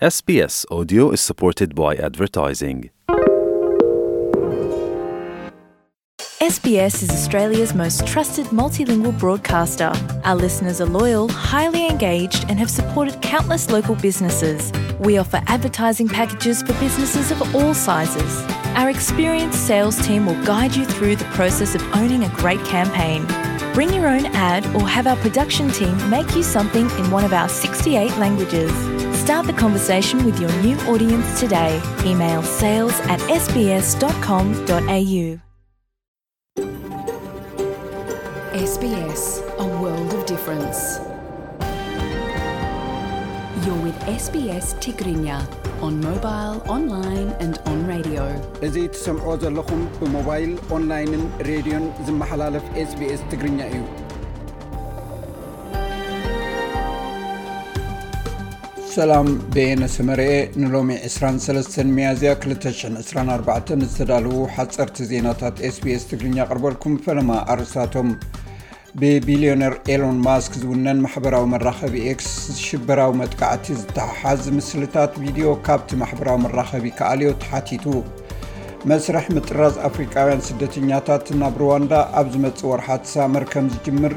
S B S Audio is supported by advertising. S B S is Australia's most trusted multilingual broadcaster. Our listeners are loyal, highly engaged, and have supported countless local businesses. We offer advertising packages for businesses of all sizes. Our experienced sales team will guide you through the process of owning a great campaign. Bring your own ad or have our production team make you something in one of our sixty-eight languages. Start the conversation with your new audience today. Email sales at S B S dot com dot A U. S B S, a world of difference. You're with S B S Tigrinya on mobile, online and on radio. እዚ ትሰምዖ ዘለኹም ብሞባይል፣ ኦንላይንን ሬድዮን ዝመሓላለፍ SBS ትግርኛ እዩ። ሰላም፣ በየነ ሰመረኤ። ንሎሚ ዕስራን ሰለስተን ሚያዝያ ክልተ ሽሕን ዕስራን ኣርባዕተን ዝተዳለዉ ሓጸርቲ ዜናታት SBS ትግርኛ ኣቕርበልኩም። ፈለማ ኣርእስታቶም። ብቢልዮነር ኤሎን ማስክ ዝውነን ማሕበራዊ መራኸቢ ኤክስ ሽበራዊ መጥቃዕቲ ዝተሓሓዝ ምስልታት ቪድዮ ካብቲ ማሕበራዊ መራኸቢ ክኣልዮ ተሓቲቱ። መስርሕ ምጥራዝ ኣፍሪቃውያን ስደተኛታት ናብ ሩዋንዳ ኣብ ዝመጽእ ወርሓት ሳመር ከም ዝጅምር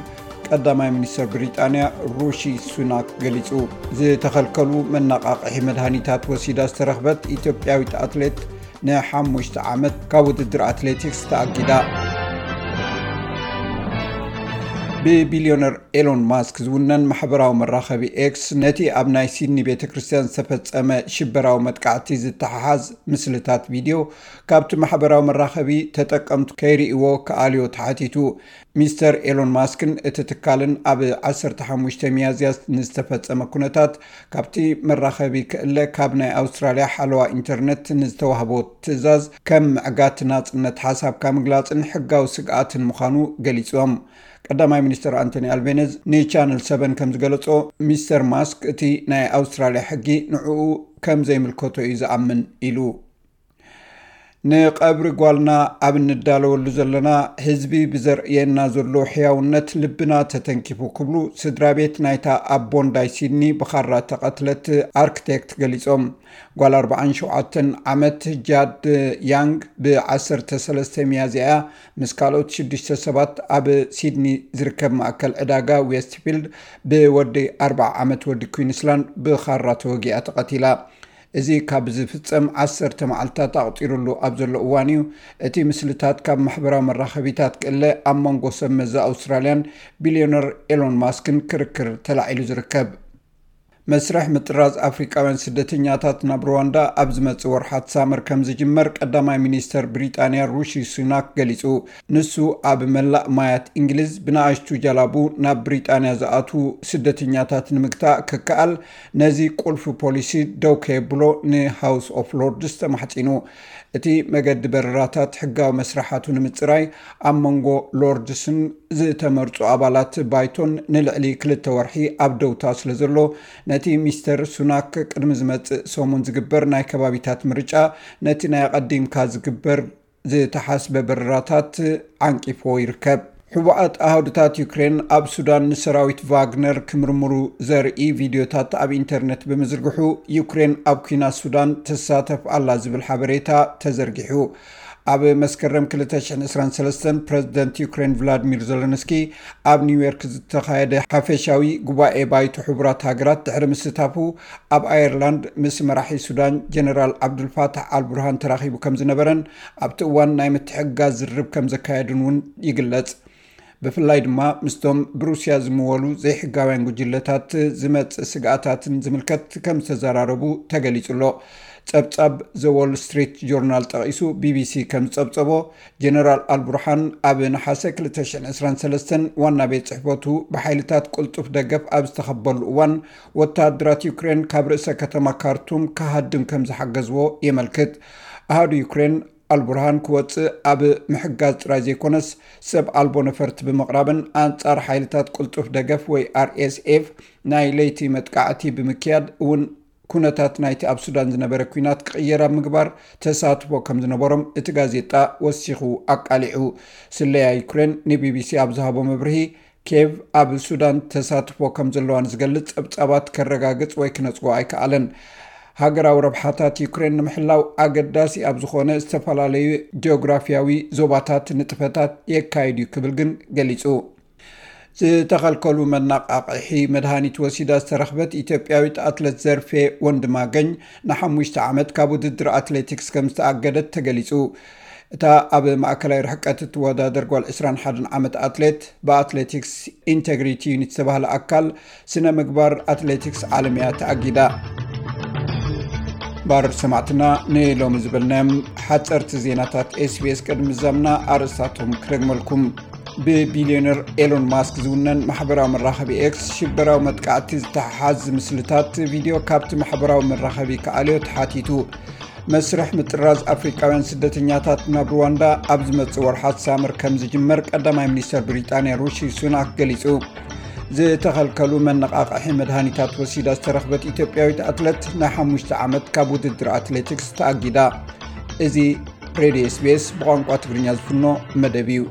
ቀዳማይ ሚኒስተር ብሪጣንያ ሩሺ ሱናክ ገሊጹ። ዝተኸልከሉ መነቓቕሒ መድሃኒታት ወሲዳ ዝተረኽበት ኢትዮጵያዊት ኣትሌት ንሓሙሽተ ዓመት ካብ ውድድር ኣትሌቲክስ ተኣጊዳ። ብቢልዮነር ኤሎን ማስክ ዝውነን ማሕበራዊ መራኸቢ ኤክስ ነቲ ኣብ ናይ ሲድኒ ቤተ ክርስቲያን ዝተፈጸመ ሽበራዊ መጥቃዕቲ ዝተሓሓዝ ምስልታት ቪድዮ ካብቲ ማሕበራዊ መራኸቢ ተጠቀምቱ ከይርእይዎ ክኣልዮ ተሓቲቱ። ሚስተር ኤሎን ማስክን እቲ ትካልን ኣብ ዓሰርተ ሓሙሽተ ሚያዝያ ንዝተፈጸመ ኩነታት ካብቲ መራኸቢ ክእለ ካብ ናይ ኣውስትራልያ ሓለዋ ኢንተርነት ንዝተዋህቦ ትእዛዝ ከም ምዕጋት ናጽነት ሓሳብካ ምግላጽን ሕጋዊ ስግኣትን ምዃኑ ገሊጾም። ቀዳማይ ሚኒስተር ኣንቶኒ ኣልቤነዝ ንቻነል ሰቨን ከም ዝገለጾ፣ ሚስተር ማስክ እቲ ናይ ኣውስትራልያ ሕጊ ንዕኡ ከም ዘይምልከቶ እዩ ዝኣምን ኢሉ። ንቐብሪ ጓልና ኣብ እንዳለወሉ ዘለና ህዝቢ ብዘርእየና ዘሎ ሕያውነት ልብና ተተንኪፉ ክብሉ ስድራ ቤት ናይታ ኣብ ቦንዳይ ሲድኒ ብኻራ ተቐትለት ኣርክቴክት ገሊጾም። ጓል ኣርባዓን ሸውዓተን ዓመት ጃድ ያንግ ብ ዓሰርተ ሰለስተ ሚያዝያ ምስ ካልኦት ሽዱሽተ ሰባት ኣብ ሲድኒ ዝርከብ ማእከል ዕዳጋ ዌስትፊልድ ብወዲ ኣርብዓ ዓመት ወዲ ኩዊንስላንድ ብኻራ ተወጊኣ ተቐቲላ። እዚ ካብ ዝፍጸም ዓሰርተ መዓልታት ኣቑጺሩሉ ኣብ ዘሎ እዋን እዩ። እቲ ምስልታት ካብ ማሕበራዊ መራኸቢታት ክእለ ኣብ መንጎ ሰብ መዚ ኣውስትራልያን ቢልዮነር ኤሎን ማስክን ክርክር ተላዒሉ ዝርከብ። መስርሕ ምጥራዝ ኣፍሪቃውያን ስደተኛታት ናብ ሩዋንዳ ኣብ ዝመጽእ ወርሓት ሳመር ከም ዝጅመር ቀዳማይ ሚኒስተር ብሪጣንያ ሩሺ ሱናክ ገሊጹ። ንሱ ኣብ መላእ ማያት እንግሊዝ ብንኣሽቱ ጃላቡ ናብ ብሪጣንያ ዝኣትዉ ስደተኛታት ንምግታእ ክከኣል ነዚ ቁልፊ ፖሊሲ ደው ከየብሎ ንሃውስ ኦፍ ሎርድስ ተማሕጺኑ። እቲ መገዲ በረራታት ሕጋዊ መስርሓቱ ንምጽራይ ኣብ መንጎ ሎርድስን ዝተመርጹ ኣባላት ባይቶን ንልዕሊ ክልተ ወርሒ ኣብ ደውታ ስለ ዘሎ፣ ነቲ ሚስተር ሱናክ ቅድሚ ዝመጽእ ሰሙን ዝግበር ናይ ከባቢታት ምርጫ ነቲ ናይ ኣቐዲምካ ዝግበር ዝተሓስበ በረራታት ዓንቂፍዎ ይርከብ። ሕቡኣት ኣሃዱታት ዩክሬን ኣብ ሱዳን ንሰራዊት ቫግነር ክምርምሩ ዘርኢ ቪድዮታት ኣብ ኢንተርነት ብምዝርግሑ፣ ዩክሬን ኣብ ኲናት ሱዳን ትሳተፍ ኣላ ዝብል ሓበሬታ ተዘርጊሑ። ኣብ መስከረም ክልተ ሽሕን ዕስራን ሰለስተን ፕረዚደንት ዩክሬን ቭላድሚር ዘለንስኪ ኣብ ኒውዮርክ ዝተኻየደ ሓፈሻዊ ጉባኤ ባይቶ ሕቡራት ሃገራት ድሕሪ ምስታፉ፣ ኣብ ኣየርላንድ ምስ መራሒ ሱዳን ጀነራል ዓብዱልፋታሕ ኣልቡርሃን ተራኺቡ ከም ዝነበረን ኣብቲ እዋን ናይ ምትሕግጋዝ ዝርርብ ከም ዘካየዱን እውን ይግለጽ። ብፍላይ ድማ ምስቶም ብሩስያ ዝምወሉ ዘይሕጋውያን ጉጅለታት ዝመጽእ ስግኣታትን ዝምልከት ከም ዝተዘራረቡ ተገሊጹ ኣሎ። ጸብጻብ ዘ ዎል ስትሪት ጆርናል ጠቒሱ ቢቢሲ ከም ዝጸብጸቦ፣ ጀነራል ኣልቡርሃን ኣብ ነሓሰ ክልተ ሽሕን ዕስራን ሰለስተን ዋና ቤት ጽሕፈቱ ብሓይልታት ቅልጡፍ ደገፍ ኣብ ዝተኸበሉ እዋን፣ ወተሃደራት ዩክሬን ካብ ርእሰ ከተማ ካርቱም ክሃድም ከም ዝሓገዝዎ የመልክት። ኣሃዱ ዩክሬን ኣልቡርሃን ክወጽእ ኣብ ምሕጋዝ ጥራይ ዘይኮነስ፣ ሰብ ኣልቦ ነፈርቲ ብምቕራብን ኣንጻር ሓይልታት ቅልጡፍ ደገፍ ወይ ኣርኤስኤፍ ናይ ለይቲ መጥቃዕቲ ብምክያድ እውን ኩነታት ናይቲ ኣብ ሱዳን ዝነበረ ኲናት ክቕየር ኣብ ምግባር ተሳትፎ ከም ዝነበሮም እቲ ጋዜጣ ወሲኹ ኣቃሊዑ። ስለያ ዩክሬን ንቢቢሲ ኣብ ዝሃቦ መብርሂ፣ ኬቭ ኣብ ሱዳን ተሳትፎ ከም ዘለዋ ንዝገልጽ ጸብጻባት ከረጋግጽ ወይ ክነጽጎ ኣይከኣለን። ሃገራዊ ረብሓታት ዩክሬን ንምሕላው ኣገዳሲ ኣብ ዝኾነ ዝተፈላለዩ ጂኦግራፊያዊ ዞባታት ንጥፈታት የካይድ እዩ ክብል ግን ገሊጹ። ዝተኸልከሉ መነቓቕሒ መድሃኒት ወሲዳ ዝተረኽበት ኢትዮጵያዊት ኣትለት ዘርፌ ወንድማገኝ ንሓሙሽተ ዓመት ካብ ውድድር ኣትሌቲክስ ከም ዝተኣገደት ተገሊጹ። እታ ኣብ ማእከላይ ርሕቀት እትወዳደር ጓል ዕስራን ሓደን ዓመት ኣትሌት ብኣትሌቲክስ ኢንቴግሪቲ ዩኒት ዝተባህለ ኣካል ስነ ምግባር ኣትሌቲክስ ዓለም እያ ተኣጊዳ። ባር ሰማዕትና ንሎሚ ዝበልናዮም ሓፀርቲ ዜናታት ኤስቢኤስ ቅድሚ ዛምና ኣርእስታቶም ክደግመልኩም። ብቢልዮነር ኤሎን ማስክ ዝውነን ማሕበራዊ መራኸቢ ኤክስ ሽበራዊ መጥቃዕቲ ዝተሓሓዝ ምስልታት ቪድዮ ካብቲ ማሕበራዊ መራኸቢ ክኣልዮ ተሓቲቱ። መስርሕ ምጥራዝ ኣፍሪቃውያን ስደተኛታት ናብ ሩዋንዳ ኣብ ዝመጽእ ወርሓት ሳምር ከም ዝጅመር ቀዳማይ ሚኒስተር ብሪጣንያ ሩሺ ሱናክ ገሊጹ። ዝተኸልከሉ መነቓቕሒ መድሃኒታት ወሲዳ ዝተረኽበት ኢትዮጵያዊት ኣትለት ናይ ሓሙሽተ ዓመት ካብ ውድድር ኣትሌቲክስ ተኣጊዳ። እዚ ሬድዮ ኤስቢኤስ ብቋንቋ ትግርኛ ዝፍኖ መደብ እዩ።